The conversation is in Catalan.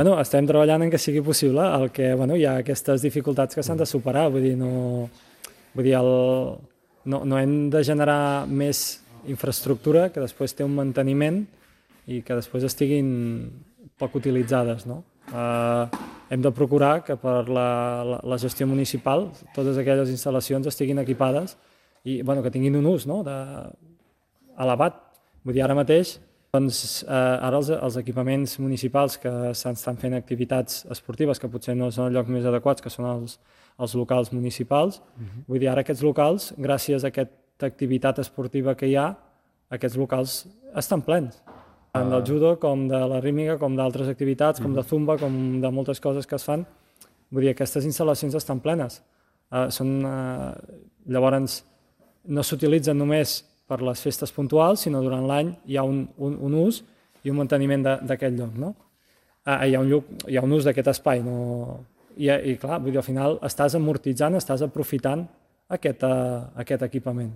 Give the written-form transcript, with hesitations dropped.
Bueno, estem treballant en que sigui possible, el que hi ha aquestes dificultats que s'han de superar, vull dir, no hem de generar més infraestructura que després té un manteniment i que després estiguin poc utilitzades, no? Hem de procurar que per la gestió municipal totes aquelles instal·lacions estiguin equipades i que tinguin un ús elevat. Vull dir, ara mateix, ara els equipaments municipals que s'estan fent activitats esportives que potser no són els llocs més adequats, que són els locals municipals, vull dir, ara aquests locals, gràcies a aquesta activitat esportiva que hi ha, aquests locals estan plens. Tant del judo, com de la rítmica, com d'altres activitats, com de zumba, com de moltes coses que es fan. Vull dir, aquestes instal·lacions estan plenes. Llavors, no s'utilitzen només per les festes puntuals, sinó durant l'any hi ha un ús i un manteniment d'aquest lloc, no? Hi ha un ús d'aquest espai, no? I clar, vull dir, al final estàs amortitzant, estàs aprofitant aquest equipament.